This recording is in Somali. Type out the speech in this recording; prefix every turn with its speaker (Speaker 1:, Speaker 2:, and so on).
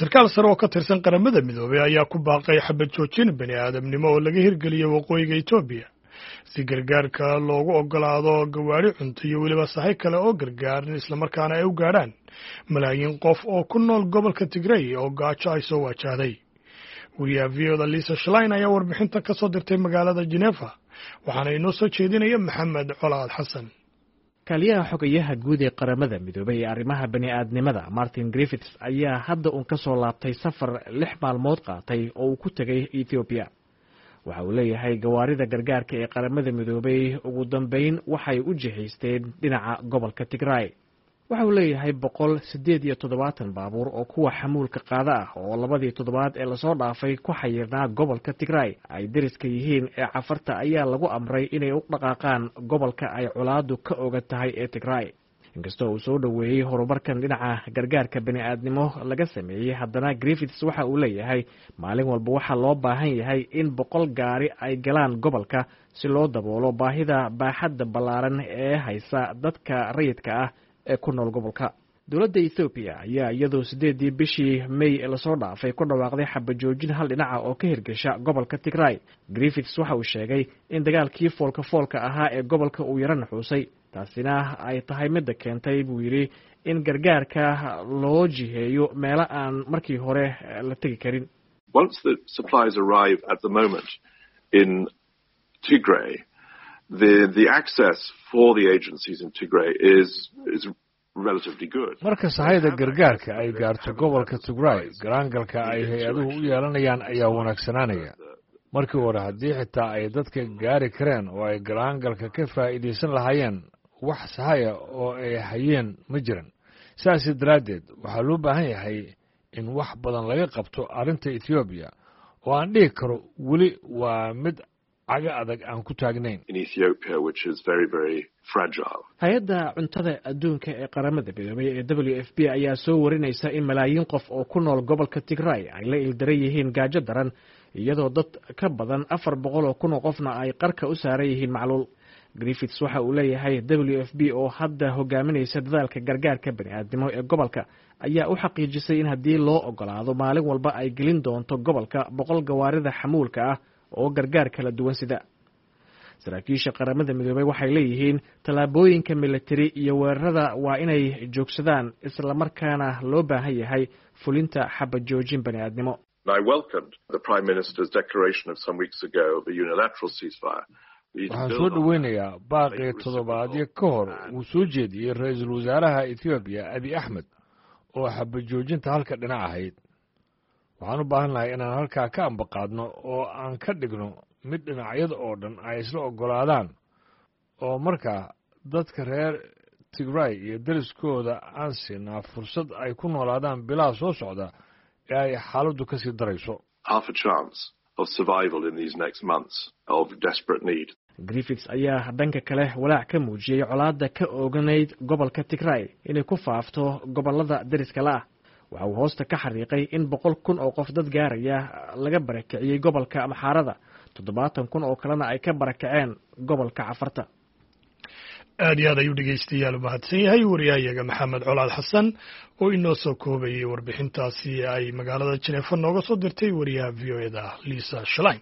Speaker 1: Sarkaal sare oo ka tirsan Qaramada Midoobey ayaa ku baaqay xabad joojin bani aadamnimo oo laga hirgeliyey waqooyiga Etoobiya, si gargaarka loogu ogolaado gawaari cunto iyo weliba sahay kale oo gargaar, islamarkaana ay u gaadhaan malaayiin qof oo ku nool gobolka Tigrey oo gaajo ay soo waajahday. Wariyaha VOA-da Lisa Schlein ayaa warbixinta ka soo dirtay magaalada Genefa, waxaana inoo soo jeedinaya Maxamed Colaad Xasan.
Speaker 2: Kaaliyaha xogayaha guud ee Qaramada Midoobay ee arrimaha bani-aadnimada, Martin Griffiths, ayaa hadda uun ka soo laabtay safar 6 maalmood qaatay oo uu ku tegay Ethoobiya. Waxa uu leeyahay gawaarida gargaarka ee Qaramada Midoobay ugu dambeyn waxay u jihaysteen dhinaca gobolka Tigray. Waxa uu leeyahay 178 baabuur oo kuwa xamuulka qaada ah oo labadii toddobaad ee lasoo dhaafay ku xayirnaa gobolka Tigray ay deriska yihiin ee Cafarta ayaa lagu amray inay u dhaqaaqaan gobolka ay colaadu ka oga tahay ee Tigray. Inkastoo uu soo dhoweeyey horumarkan dhinaca gargaarka bani-aadnimo laga sameeyey, haddana Griffiths waxa uu leeyahay maalin walba waxaa loo baahan yahay in 100 gaari ay galaan gobolka si loo daboolo baahida baaxadda ballaaran ee haysa dadka rayidka ah ee ku nool gobolka. Dowladda Ethoobiya ayaa iyadoo 8-dii bishii May lasoo dhaafay ku dhawaaqday xabajoojin hal dhinaca oo ka hirgasha gobolka Tigray. Griffiths waxa uu sheegay in dagaalkii foolka foolka ahaa ee gobolka uu yaro naxuusay, taasina ay tahay midda keentay, buu yidhi, in gargaarka loo jiheeyo meelo aan markii hore la tegi karin.
Speaker 3: Once the supplies arrive at the moment in Tigray, the access for the agencies in Tigray is relatively good.
Speaker 4: Marka sahayda gargaarka ay gaarto gobolka Tigray, galaangalka ay hay-aduhu u yeelanayaan ayaa wanaagsanaanaya. Markii hore, haddii xitaa ay dadka gaari kareen oo ay galaangalka ka faa'iidaysan lahaayeen, wax sahaya oo ay hayeen ma jiran. Sidaasi daraaddeed waxaa loo baahan yahay in wax badan laga qabto arrinta Etoobiya, oo aan dhihi karo weli waa mid caga adag aan ku taagnayn.
Speaker 2: Hay-adda Cuntada Adduunka ee Qaramada Midoobay ee WFP ayaa soo warinaysa in malaayiin qof oo ku nool gobolka Tigray ay la ildaran yihiin gaajo daran, iyadoo dad ka badan 400,000 oo qofna ay qarka u saaran yihiin macluul. Griffiths waxa uu leeyahay WFP oo hadda hogaaminaysa dadaalka gargaarka bani-aadnimo ee gobolka ayaa u xaqiijisay in haddii loo ogolaado maalin walba ay gelin doonto gobolka 100 gawaarida xamuulka ah oo gargaar kala duwan sida. Saraakiisha Qaramada Midoobey waxay leeyihiin tallaabooyinka militari iyo weerarada waa inay joogsadaan, islamarkaana loo baahan yahay fulinta xabad joojin bani-aadnimo.
Speaker 3: I welcomed the Prime Minister's declaration of some weeks ago of a unilateral ceasefire.
Speaker 4: Waxaan soo dhoweynayaa baaqii toddobaadyo ka hor uu soo jeediyey ra-iisul wasaaraha Etoobiya, Abiy Axmed, oo xabad joojinta halka dhinac ahayd. Waxaan u baahan lahay inaan halkaa ka ambaqaadno oo aan ka dhigno mid dhinacyada oo dhan ay isla oggolaadaan, oo markaa dadka reer Tigray iyo deriskooda aan siinaa fursad ay ku noolaadaan bilaha soo socda ee ay xaaladdu ka sii darayso.
Speaker 3: Half a chance of survival in these next months of desperate need.
Speaker 2: Griffiths ayaa dhanka kale walaac ka muujiyey colaadda ka ooganayd gobolka Tigray inay ku faafto gobollada deriska la ah. Waxa uu hoosta ka xariiqay in 100,000 oo qof dad gaaraya laga barakiciyey gobolka Amxaarada, 70,000 oo kalena ay ka barakaceen gobolka Cafarta.
Speaker 1: Aad iyo aad ayuu, dhegeystayaal, umahadsan yahay wariyahayaga Maxamed Colaad Xasan oo inoo soo koobayay warbixintaasi ay magaalada Jineefa nooga soo dirtay wariyaha VOA-da, Lisa Schlein.